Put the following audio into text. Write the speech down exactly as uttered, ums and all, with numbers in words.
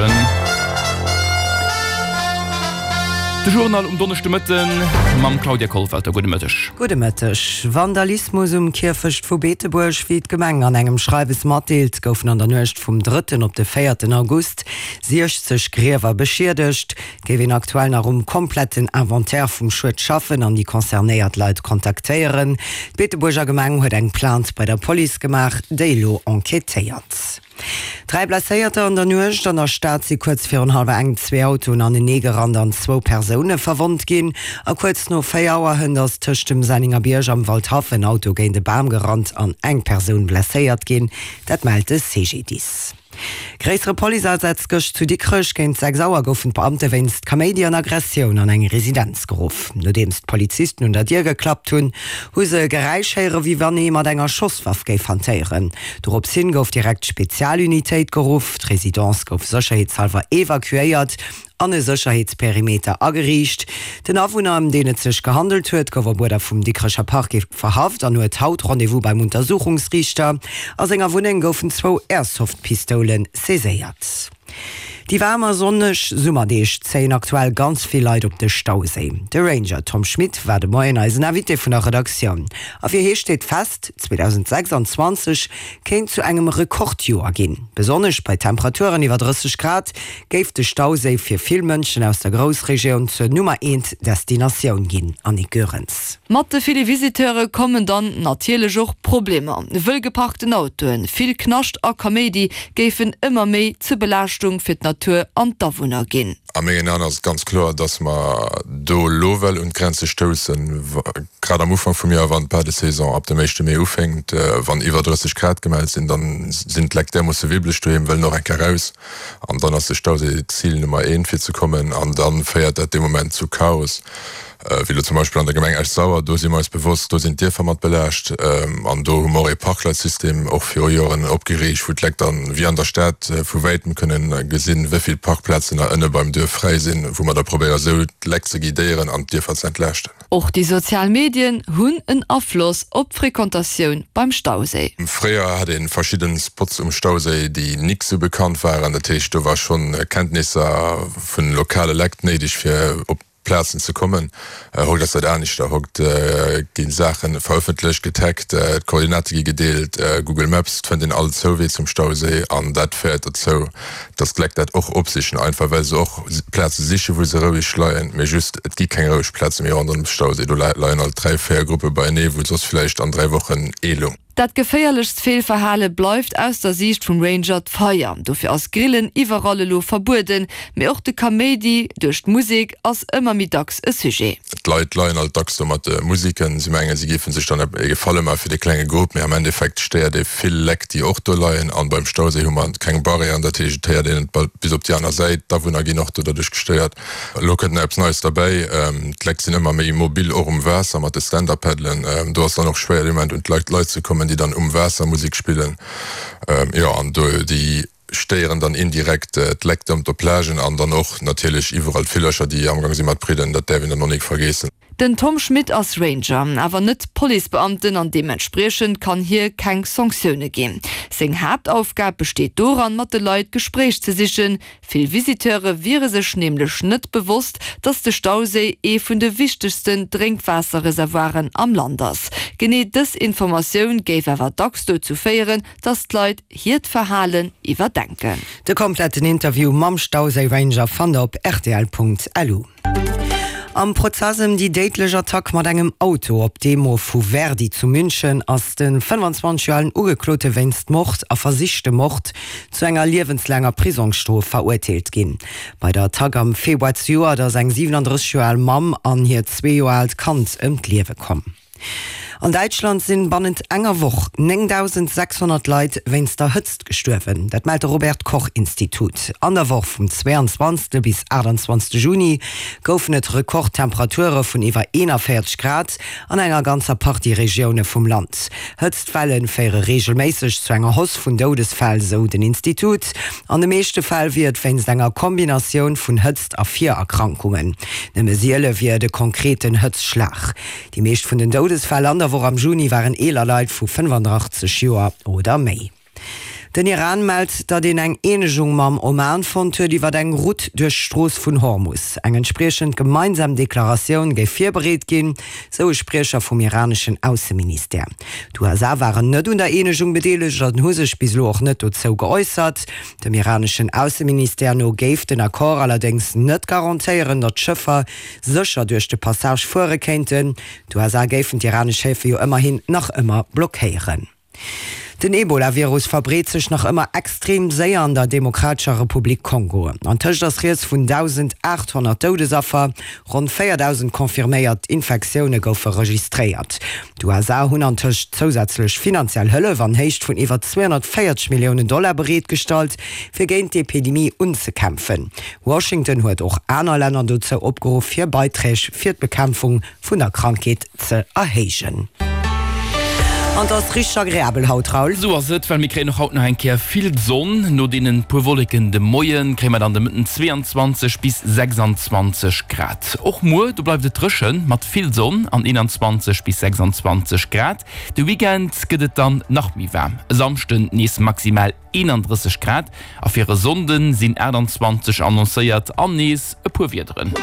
dréchen. De Journal um Donneschdemëtten mam Claudia Kollwelter. Gudde Mëtteg. Gudde Mëtteg. Vandalismus um Kierfecht vu Beetebuerg, Wéi d'Gemeng an engem Schreiwes matdeelt, goufen an der Nuecht vum drëtten op de véierten August siechzeg Griewer beschiedegt. Et géif een aktuell nach um kompletten Inventaire vum Schued schaffen an déi concernéiert Leit kontaktéieren. D'Beetebuerger Gemeng huet eng Plainte bei der Police gemaach, déi elo enquêtéiert. Dräi Blesséierter An der Nuecht an der Stad si kuerz virun hallwer eng zwee Autoen anenee gerannt an zwou Persoune verwonnt ginn. A kuerz no véier Auer hënt ass tëscht dem Sennengerbierg am Waldhaff en Auto géint e Bam gerannt an eng Persoun blesséiert ginn. Dat mellt de C G D I S. Gréissere Policeasaz gëscht zu Dikrech. Géint sechs Auer goufen d'Beamte wéinst Kaméidi an Aggressioun an eng Residenz geruff. Nodeems d'Polizisten un der Dier geklappt hunn, hu se Geräisch héiere wéi wann ee mat enger Schosswaff géif hantéieren. Dorops hin gouf direkt d'Spezialunitéit geruff, d'Residence gouf sécherheetshallwer evakuéiert an e Sécherheetsperimeter ageriicht. Den Awunner, ëm deen et sech gehandelt huet, gouf op Uerder vum Dikrecher Parquet verhaft an huet haut Rendez-vous beim Untersuchungsriichter. A senger Wunneng goufen zwou Airsoft-Pistoule saiséiert. Déi waarm a sonneg Summerdeeg zéien aktuell ganz vill Leit op de Stauséi. De Ranger Tom Schmit war de Moien eisen Invité vun der Redaktioun. A fir hie steet fest, zweedausendsechsanzwanzeg kéint zu engem Rekordjoer ginn. Besonnesch bei Temperaturen iwwer drësseg Grad géif de Stauséi fir vill Mënschen aus der Groussregioun zur Nummer eent Destinatioun ginn. Annick Goerens. Mat de ville Visiteure kommen dann natierlech och Problemer. Wëll geparkten Autoen, vill Knascht a Kaméidi géifen ëmmer méi zur Belaaschtung fir d'Natur an d'Awunner ginn. A mengen Aen ass et ganz kloer, dass mer do elo well un d'Grenze stoussen, grad am Ufank vum Joer, wann d'Badesaison ab dem éischte Mee ufänkt, wann iwwer drësseg Grad gemellt sinn, dann sinn d'Lekt därmoosse wibbeleg doheem, wëllen och eng Kéier raus an dann ass de Stauséi d'Zil Nummer eent fir ze kommen an dann féiert dat dee Moment zu Chaos. Wéi elo zum Beispill an der Gemeng Esch-Sauer, do si mer eis bewosst, do sinn d'Dierfer mat belaascht an do hu mer och ee Parkleitsystem och viru Joren opgeriicht, wou d'Lekt dann, wéi an der Stad, vu wäitem kënnen gesinn, wéi vill Parkplazen nach ënne beim Duerf fräi sinn, wou mer da probéieren, esou d'Lekt ze guidéieren an d'Dierfer ze entlaaschten. Och déi sozial Medien hunn en Afloss op d'Frequentatioun beim Stauséi. Fréier hat ee verschidden Spots um Stauséi, déi nik sou bekannt waren, dat heescht, do war schonn Kenntnisser vun lokale Lekt néideg, fir op Plazen ze kommen. Haut ass dat aneschter, haut gi Saache verëffentlecht, getaggt, d'Koordinate gi gedeelt, Google Maps, et fënnt een all Zouwee zum Stauséi an dat féiert dozou, datt d'Lekt dat och opsichen, einfach well se och Plaze sichen, wou se roueg leien. Mee just, et gi keng roueg Plaze méi ronderëm de Stauséi, do leien alt dräi, véier Gruppe beienee, wou soss villäicht an dräi Wochen ee loung. Dat geféierlechst Feelverhale bleift aus der Siicht vum Ranger d'Feier. Dofir ass Grillen iwwerall elo verbueden, mee och de Kaméidi duerch d'Musek ass ëmmer méi dacks e Sujet. D'Leit leien alt dacks do mat de Musiken, si mengen, si géife sech dann e Gefalle maache fir de klenge Grupp, mee am Endeffekt stéiert ee vill Lekt, déi och do leien. An beim Stauséi hu mer keng Barrièren, dat heescht, et héiert een et bal bis op déi aner Säit. D'Awunner ginn och do derduerch gestéiert. Elo kënnt nach eppes Neies derbäi, d'Lekt sinn ëmmer méi mobil, och um Waasser mat de Stand-Up-Paddelen. Do ass dann och schwéier dee Moment un d'Leit Leit ze kommen, déi dann um Waasser Musek spillen. Jo, an do déi stéieren dann indirekt d'Lekt op der Plage an dann och natierlech iwwerall d'Villercher, déi amgang si mat bridden, dat däerf een dann och nik vergeessen. Den Tom Schmit ass Ranger, awer net Policebeamten an deementspriechend kann hie keng Sanktioune ginn. Seng Haaptaufgab besteet doran, mat de Leit d'Gespréich ze sichen. Vill Visiteure wiere sech nämlech net bewosst, dass de Stauséi ee vun de wichtegsten Drénkwaasserreservoiren am Land ass. Genee dës Informatioun géif awer dacks dozou féieren, dass d'Leit hiert Verhalen iwwerdenken. De kompletten Interview mam Stauséi-Ranger fannt der op rtl Punkt L U. Am Prozess ëm déi déidlech Attack mat engem Auto op d'Demo vu Verdi zu München ass de fënnefanzwanzeg Joer alen Ugeklote wéinst Mord a versichtem Mord zu enger liewenslaanger Prisongsstrof verurteelt ginn. Bei der Attack am Februar zejoert ass eng siwenandrësseg Joer al Mamm an hiert zwee Joer aalt Kand ëm d'Liewe komm. An Däitschland sinn bannent enger Woch néngdausendsechshonnert Leit wéinst der Hëtzt gestuerwen. Dat mellt de Robert Koch Institut. An der Woch vum zweiandzwanzegste bis aachtandzwanzegste Juni goufen et Rekordtemperature vun iwwer eenanvéierzeg Grad an enger ganzer Partie Regioune vum Land. Hëtztwelle féiere reegelméisseg zu enger Hausse vun Doudesfäll, sou den Institut. An de meeschte Fäll wier et wéinst enger Kombinatioun vun Hëtzt a Virerkrankungen. Nëmme siele wier et e konkreten Hëtztschlag. Déi meescht vun den Doudesfäll an der Woch am Juni waren eeler Leit vu fënnefandachtzeg Joer oder méi. Den Iran mellt, datt een eng Eenegung mam Oman fonnt huet iwwer eng Route duerch d'Strooss vun Hormus. Eng entspriechend gemeinsam Deklaratioun géif virbereet ginn, sou e Spriecher vum iraneschen Ausseministère. D'USA waren net un der Eenegung bedeelegt an hu sech bis elo och net dozou geäussert. Dem iraneschen Ausseministère no géif den Accord allerdéngs net garantéieren, datt d'Schëffer sécher duerch de Passage fuere kéinten. D'USA géifen d'iranesch Häfe jo ëmmerhin nach ëmmer blockéieren. Den Ebola-Virus verbreet sech nach ëmmer extrem séier an der Demokratescher Republik Kongo. Antëscht ass rieds vun dausendaathonnert Doudesaffer, ronn véierdausend confirméiert Infektioune goufe registréiert. D'USA hunn antëscht zousätzlech finanziell Hëllef an Héicht vun iwwer zweehonnertvéierzeg Milliounen Dollar bereetgestallt, fir géint d'Epidemie unzekämpfen. Washington huet och aner Länner dozou opgeruff, hir Beiträg fir d'Bekämpfung vun der Krankheet ze erhéijen. An et ass richteg agreabel haut, Raoul. Sou ass et, well mir kréien och haut nach eng Kéier vill Sonn. No deenen puer Wolleken de Moien kréie mer dann de Mëtten zweiundzwanzeg bis sechsundzwanzeg Grad. Och muer, do bleift et dréchen mat vill Sonn an eenanzwanzeg bis sechsundzwanzeg Grad. De Weekend gëtt et dann nach méi waarm, e Samschden nees maximal eenandrësseg Grad a fir e Sonnde sinn aachtanzwanzeg annoncéiert an nees e puer Wiederen.